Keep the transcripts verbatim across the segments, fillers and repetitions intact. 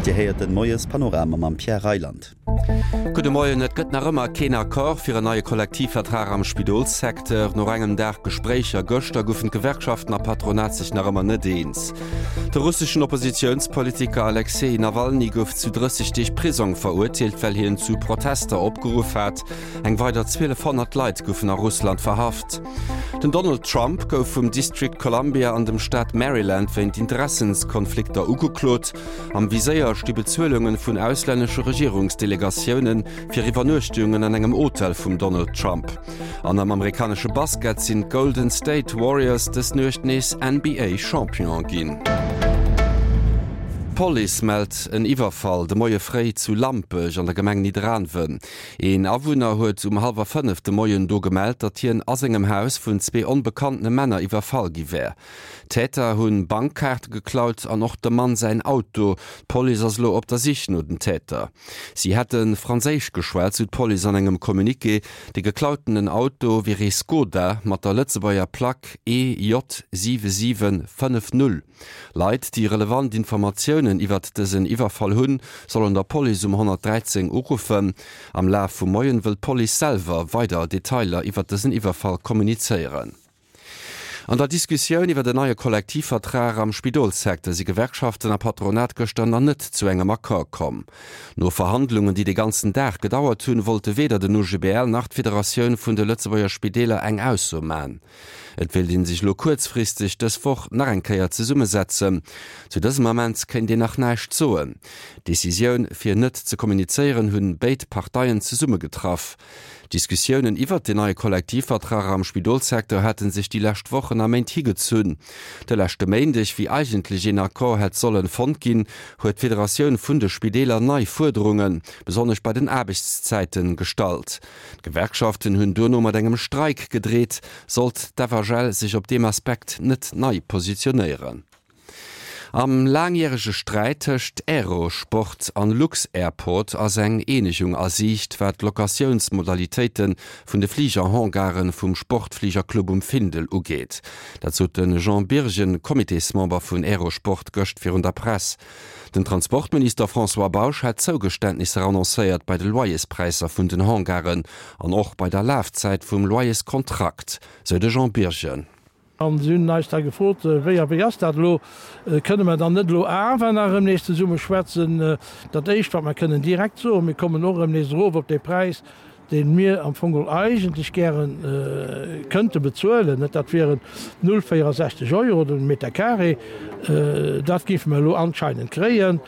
Dir héiert den Moiespanorama mam Pierre Reyland. Gudde Moien, Et gëtt nach ëmmer keen Accord fir en neie Kollektivvertrag am Spidolssecteur. No engem Dag Gespréicher gëschter goufen d'Gewerkschaften a Patronat sech nach ëmmer net eens. De russeschen Oppositiounspolitiker Alexej Nawalny gouf zu drësseg Deeg Prisong verurteelt, well hien zu Protester opgeruff hat. Eng weider zwielefhonnert Leit goufen a Russland verhaft. Den Donald Trump gouf vum District Columbia an dem Staat Maryland wéint Interessenskonflikter ugeklot. Am Viséier sti Bezuelunge vun auslännesche Regierungsdelegatioune fir Iwwernuechtungen an engem Hotel vum Donald Trump. An am amerikanesche Basket sinn d'Golden State Warriors dës Nuecht nees N B A Champion ginn. D'Police mellt en Iwwerfall de Moie fréi zu Lampech an der Gemeng Nidderaanwen. Een Awunner huet um hallwer fënnef de Moien do gemellt, datt hien a sengem Haus vun zwee onbekanntene Männer iwwerfall gi wär. D'Täter hunn Bankkaarte geklaut an och dem Mann säin Auto. D'Police ass elo op der Sich no den Täter. Si hätte Franséisch geschwat, sou d'Police an engem Communiqué. De geklautenen Auto wier ee Skoda mat der Lëtzebuerger Plack E J siwe siwe fënnef null. Leit, déi relevant Informatiounen iwwert dësen Iwwerfall hunn, sollen der Police um honnertdräizéng uruffen. Am Laf vum Moien wëll d'Police selwer weider Detailer iwwert dësen Iwwerfall kommunizéieren. An der Diskussioun iwwer den neie Kollektivvertrag am Spidolssecteur si Gewerkschaften a Patronat gëschter nach net zu engem Accord komm. No Verhandlungen, déi de ganzen Dag gedauert hunn, wollte weder den U G B L nach d'Federatioun vun de Lëtzebuerger Spideeler eng Ausso man. Et wéilt een sech elo kuerzfristeg dës Woch nach eng Kéier zesummesetzen. Zu dësem Ament kéint een nach näischt soen. D'Decisioun, fir net ze kommunizéieren, hunn béid Parteien zesummegetraff. Diskussiounen iwwer den neie Kollektivvertrag am Spidolssecteur hätten sech déi lescht Wochen a Méint higezunn. De leschte Méindeg, wéi eigentlech een Accord hätt sollen fonnt ginn, huet d'Federatioun vun de Spideeler nei Fuerderungen, besonnesch bei den Aarbechtszäiten, gestallt. D'Gewerkschaften hunn duerno mat engem Streik gedreet, sollt d'F H L sech op deem Aspekt net nei positionéieren. Am langjärege Sträit tëscht Aerosport an Lux-Airport ass eng Eenegung a Siicht, wat d'Locatiounsmodalitéite vun de Fligerhangaren vum Sportfligerclub um Findel ugeet. Dat sot de Jean Birgen, Comitésmember vun Aerosport, gëscht virun der Press. Den Transportminister François Bausch hat Zougeständnisser annoncéiert bei de Loyerspräisser vun den Hangaren an och bei der Lafzäit vum Loyerskontrakt, sou de Jean Birgen. An si hunn eis da gefrot, wéi a wéi ass dat elo? Kënne mer dann net elo awer nach erëm nees zesumme schwätzen? Dat Éischt, wat mer kënnen direkt soen, mir kommen och erëm nees erof op de Präis, deen mir am Fong geholl eigentlech gären kënnte bezuelen. Net, dat wären null véierundsechzeg Euro den Meter carré. Dat géife mer elo anscheinend kréien.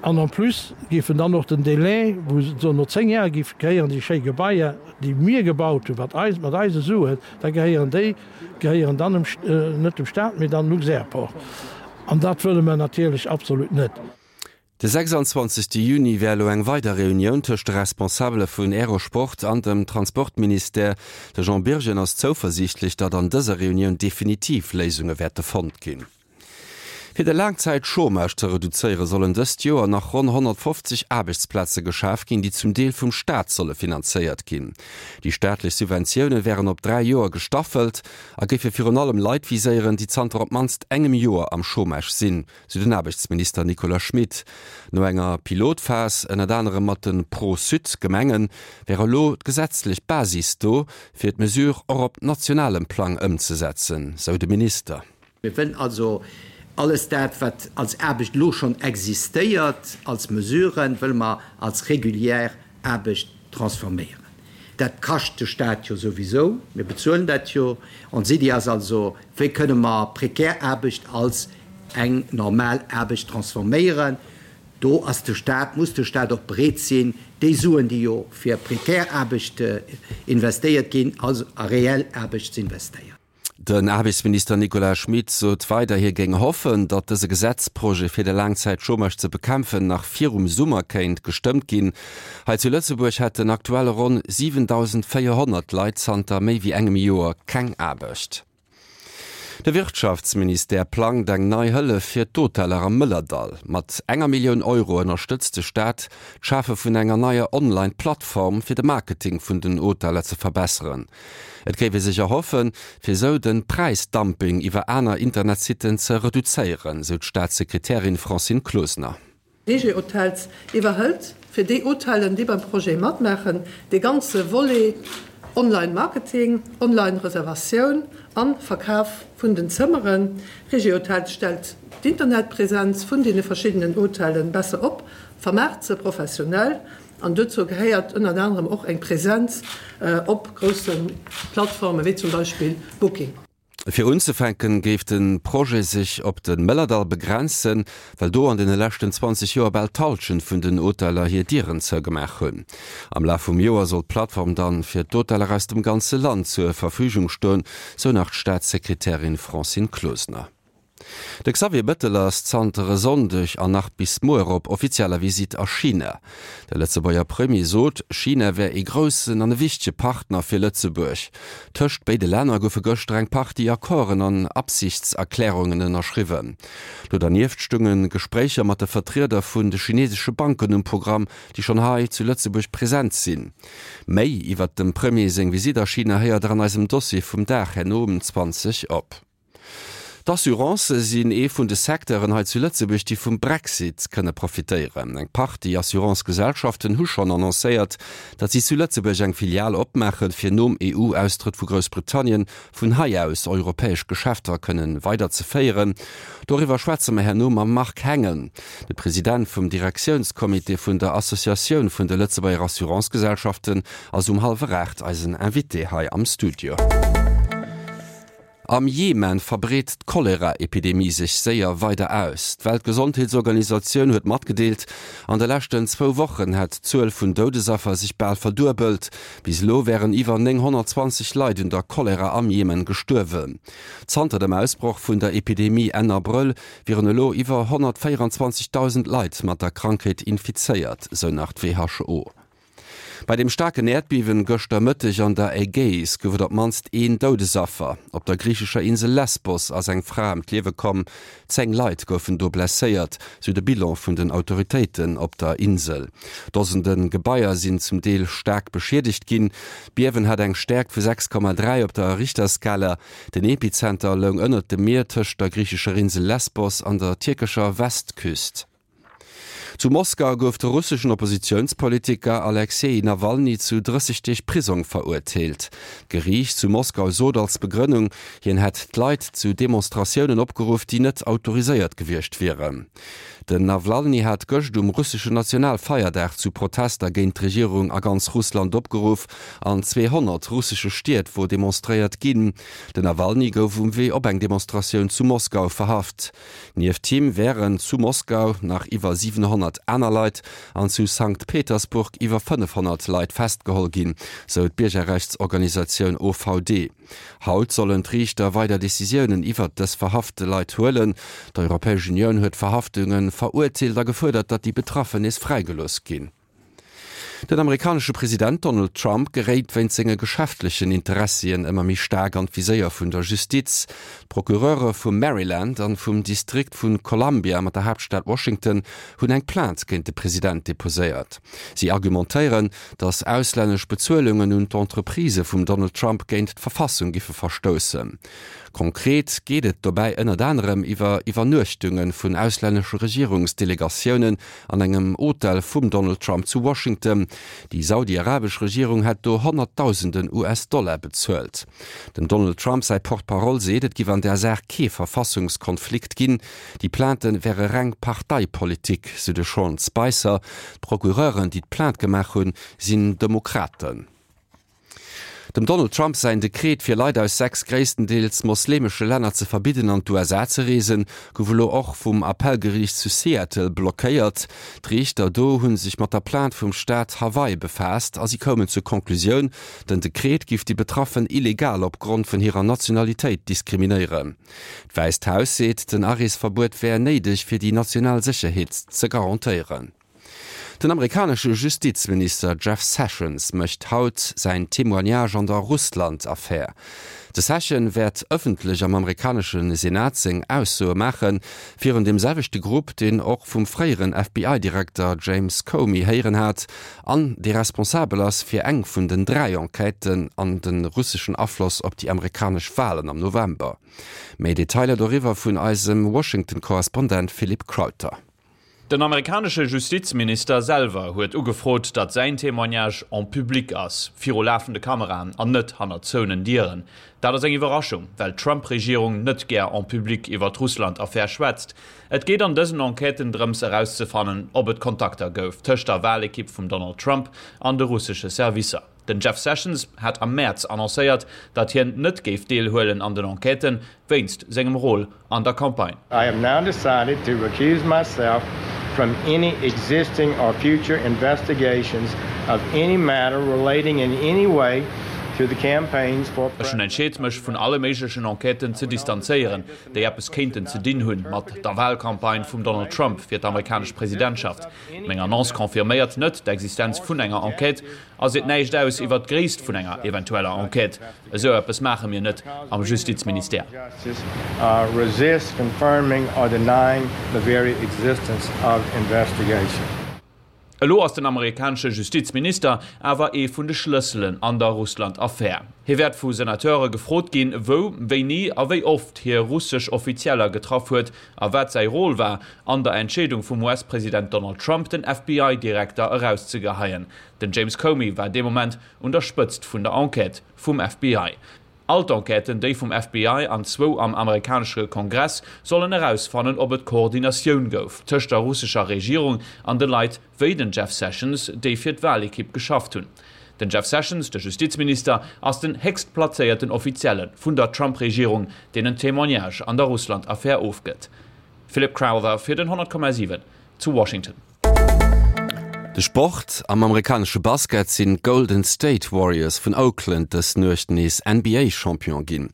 An en plus géifen dann och den Délai, wou se so no zéng Jahre géife gehéieren, déi schéi Gebaier, déi mir gebaut hunn, wat eis, mat eise Suen, da gehéieren déi, gehéieren dann dem St-, net dem Staat, mee dann Lux-Airport. An dat wëlle mer natierlech absolut net. De sechsundzwanzigste Juni wär elo eng weider Reunioun tëscht de Responsabele vun Aerosport an dem Transportministère. De Jean Birgen ass zouversiichtlech, datt an dëser Reunioun definitiv Léisunge wäerte fonnt ginn. Fir de Langzeit-Chômage ze reduzéieren, sollen dëst Joer nach ronn honnertfofzeg Aarbechtsplaze geschaf ginn, déi zum Deel vum Staat solle finanzéiert ginn. Déi staatlech Subventioune wären op dräi Joer gestaffelt a géife virun allem Leit viséieren, déi zanter op d'mannst engem Joer am Chômage sinn, sou den Aarbechtsminister Nicolas Schmit. No enger Pilotphas, ënnert anerem mat den Pro-Sud-Gemengen, wär elo d'gesetzlech Basis do, fir d'Mesure och op nationalem Plang ëmzesetzen, sou de Minister. Mir wëllen also alles dat, wat als Aarbecht elo schonn existéiert, als Mesuren, wëlle mer als regulière Aarbecht transforméieren. Dat kascht de Staat jo sowieso, mir bezuelen dat jo. Ons Idee ass also, wéi kënne mer prekär Aarbecht als eng normal Aarbecht transforméieren. Do ass de Staat, muss de Staat och bereet sinn, déi Suen, déi jo fir prekär Aarbecht investéiert ginn, als a reell Aarbecht ze investéieren. Den Aarbechtsminister Nicolas Schmit sot weider, hie géing hoffen, datt dëse Gesetzprojet fir de Langzeit-Chômage ze bekämpfen nach virum Summer kéint gestëmmt ginn. Hei zu Lëtzebuerg hätten aktuell ronn siwentausendvéierhonnert Leit zanter méi wéi engem Joer keng Aarbecht. De Wirtschaftsministère plangt eng nei Hëllef fir d'Hoteller am Mëllerdall. Mat enger Millioun Euro ënnerstëtzt de Staat d'Schafe vun enger neier Online-Plattform fir de Marketing vun den Hoteller ze verbesseren. Et géif ee sech erhoffen, fir esou de Präisdumping iwwer aner Internetsitten ze reduzéieren, sou d'Staatssekretärin Francine Closener. Regihotels iwwerhëlt fir déi Hotellen, déi beim Projet matmaachen, dee ganze Volet Online Marketing, Online Reservatioun an Verkaf vun den Zëmmeren. Regihotels stellt d'Internetpresenz vun deene verschiddenen Hotellen besser op, vermaart se professionell an dozou gehéiert ënnert anerem och eng Presenz op grousse Plattforme wéi zum Beispill Booking. Fir unzefänken géif de Projet sech op de Mëllerdall begrenzen, well do an deene leschten zwanzeg Joer bal d'Hallschent vun den Hoteller hir Dieren zougemaach hunn. Am Laf vum Joer soll d'Plattform dann fir d'Hoteller aus dem ganze Land zur Verfügung stoen, sou nach d'Staatssekretärin Francine Closener. De Xavier Bettel ass zanter e Sonndeg an nach bis muer op offizieller Visitt a China. De Lëtzebuerger Premier sot, China wär ee groussen an e wichtege Partner fir Lëtzebuerg. Tëscht béide Länner goufe gëschter eng Partie Accorden an Absichtserklärungen ënnerschriwwen. Do dernieft stounge Gespréicher mat de Vertrieder vun de chinesesche Banken um Programm, déi schonn hei zu Lëtzebuerg present sinn. Méi iwwert dem Premier seng Visitt a China héiert der an eisem Dossier vum Dag herno um zwanzeg op. D'Assurancë sinn ee vun de Secteuren hei zu Lëtzebuerg, déi vum Brexit kënne profitéieren. Eng Partie Assurance-Gesellschaften hu schonn annoncéiert, datt si zu Lëtzebuerg eng Filial opmaachen, fir nom E U-Austrëtt vu Groussbritannien vun hei aus europäesch Geschäfter kënnen weider ze féieren. Doriwwer schwätze mer herno mam Marc Hengen. De President vum Direktiounscomité vun der Associatioun vun de Lëtzebuerger Assurance-Gesellschaften ass um hallwer aacht eisen Invité hei am Studio. Am Jemen verbreet d'Cholera-Epidemie sech séier weider aus. D'Weltgesondheetsorganisatioun huet matgedeelt, an de leschten zwou Wochen hätt d'Zuel vun Doudesaffer sech bal verduebelt. Bis elo wären iwwer nénghonnertzwanzeg Leit un der Cholera am Jemen gestuerwen. Zanter dem Ausbroch vun der Epidemie Enn Abrëll wieren elo iwwer honnertvéierenzwanzegdausend Leit mat der Krankheet infizéiert, sou nach d'W H O. Bei dem staarken Äerdbiewen gëschter Mëtteg an der Ägäis gouf et op d'mannst een Doudesaffer. Op der griichescher Insel Lesbos ass eng Fra ëm d'Liewe komm, zéng Leit goufen do blesséiert, sou de Bilan vun den Autoritéiten op der Insel. Dosende Gebaier sinn zum Deel staark beschiedegt ginn. D'Biewen hat eng Stäerkt vu sechs Komma dräi op der Richterskala. Den Epizenter loung ënnert dem Mier tëscht der griichescher Insel Lesbos an der tierkescher Westküst. Zu Moskau gouf de russeschen Oppositiounspolitiker Alexej Nawalny zu drësseg Deeg Prisong verurteelt. D'Geriicht zu Moskau sot als Begrënnung, hien hätt d'Leit zu Demonstratiounen opgeruff, déi net autoriséiert gewiescht wieren. Den Nawalny hat gëscht um russeschen Nationalfeierdag zu Protester géint d'Regierung a ganz Russland opgeruff. An zweehonnert russesche Stied wor demonstréiert ginn. Den Nawalny gouf um Wee op eng Demonstratioun zu Moskau verhaft. Nieft him wären zu Moskau nach iwwer siwenhonnert aner Leit an zu Sankt Petersburg iwwer fënnefhonnert Leit festgeholl ginn, sou d'Biergerrechtsorganisatioun O V D. Haut sollen d'Riichter weider Decisiounen iwwert dës verhafte Leit huelen. D'Europäesch Unioun huet d'Verhaftunge verurteelt a gefuerdert, datt déi Betraffen nees fräigelooss ginn. Den amerikanesche President Donald Trump geréit wéinst senge geschäftlechen Interessien ëmmer méi staark an d'Viséier vun der Justiz. D'Procureure vum Maryland an vum Distrikt vu Columbia mat der Haaptstad Washington hunn eng Plainte géint de President deposéiert. Si argumentéieren, datt auslännesch Bezuelungen un d'Entreprisë vum Donald Trump géint d'Verfassung giffe verstoussen. Konkret geet et dobäi ënnert anerem iwwer Iwwernuechtunge vun auslännesche Regierungsdelegatiounen an engem Hotel vum Donald Trump zu Washington. Déi saudi-arabesch Regierung hätt do Honnertdausenden U S-Dollar bezuelt. Dem Donald Trump säi Porte-parole seet, et giff an där Saach kee Verfassungskonflikt ginn. Déi Plainte wäre reng Parteipolitik, sou de Sean Spicer. D'Procureuren, déi d'Plainte gemaach hunn, sinn Demokraten. Dem Donald Trump säin Dekret fir Leit aus sechs gréisstendeels moslemesche Länner ze verbidden an d'U S A ze reesen, gouf elo och vum Appellgeriicht zu Seattle blockéiert. D'Riichter do hu sech mat der Plainte vum Staat Hawaii befaasst a si koumen zur Conclusioun, den Dekret giff déi Betraffen illegal opgrond vun hirer Nationalitéit diskriminéieren. D'Wäisst Haus seet, den Areesverbuet wär néideg fir déi national Sécherheet ze garantéieren. Den amerikanesche Justizminister Jeff Sessions mécht haut säin Témoignage an der Russland-Affär. De Sessions wäert ëffentlech am amerikanesche Senat seng Aussoe maachen, virun deem selwechte Grupp, deen och vum fréieren F B I-Direkter James Comey héieren hat an dee responsabel ass fir eng vun den dräi Enquêten an de russeschen Afloss op déi amerikanesch Walen am November. Méi Detailer doriwwer vun eisem Washington-Korrespondent Philippe Crowther. Den amerikanesche Justizminister selwer huet ugefrot, datt säin Témoignage en public ass, viru lafende Kameraen an net hannert zouenen Dieren. Dat ass eng Iwwerraschung, well d'Trump-Regierung net gär en public iwwer d'Russland-Affär schwätzt. Et geet an dësen Enquêten drëms erauszefannen, ob et Kontakter gouf tëscht der Walekipp vum Donald Trump an de russesche Servicer. Den Jeff Sessions hat am Mäerz annoncéiert, datt hien net géif deelhuelen an den Enquêten, wéinst sengem Rôle an der Campagne. I have now decided to recuse myself from any existing or future investigations of any matter relating in any way to the campaigns for Ech hunn entscheet, mech vun alle méiglechen Enquêten ze distanzéieren, déi eppes kéinten ze dinn hunn mat der Walcampagne vum Donald Trump fir d'amerikanesch Presidentschaft. Meng Annonce confirméiert net d'Existenz vun enger Enquête a seet näischt aus iwwer d'Gréisst vun enger eventueller Enquête. Esou eppes maache mir net am Justizministère. Resist confirming or denying the very existence of investigation. Elo ass den amerikanesche Justizminister awer ee vun de Schlësselen an der Russland-Affär. Hie wäert vu Senateure gefrot ginn, wou, wéini a wéi oft hie russesch Offizieller getraff huet a wat säi Rôle war an der Entscheedung vum U S-President Donald Trump, den F B I-Direkter erauszegeheien. Den James Comey war dee Moment un der Spëtzt vun der Enquête vum F B I. All d'Enquêten, déi vum F B I an zwou am amerikanesche Kongress, sollen erausfannen, ob et Koordinatioun gouf tëscht der russescher Regierung an de Leit wéi den Jeff Sessions, déi fir d'Walekipp geschafft hunn. Den Jeff Sessions, de Justizminister, ass den héchstplazéierten Offizielle vun der Trump-Regierung, deen en Témoignage an der Russland-Affär ofgëtt. Philip Crowther fir den honnert Komma siwen zu Washington. De Sport, Am amerikanesche Basket sinn d'Golden State Warriors vun Oakland dës Nuecht nees N B A-Champion ginn.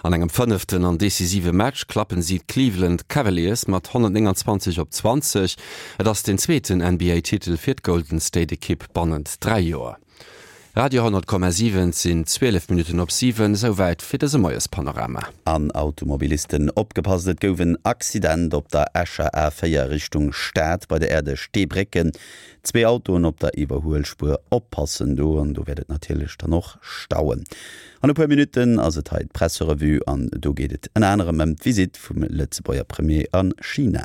An engem fënneften an decisive Match klappen si d'Cleveland Cavaliers mat honnertnénganzwanzeg op zwanzeg. Et ass den zweeten N B A-Titel fir d'Golden State-Ekipp bannent dräi Joer. Radio honnert Komma siwen, sinn zwielef Minutten op siwen, souwäit fir dëse Moiespanorama. An Automobilisten opgepasst, et gouf en Accident op der Escher A véier Richtung Stad bei der Aire de Steebrécken. Zwee Autoen op der Iwwerhuelspuer, oppassen do an do wäert et natierlech dann och stauen. An e puer Minutten ass et hei d'Presserevue an do geet et ënner anerem ëm d'Visitt vum Lëtzebuerger Premier a China.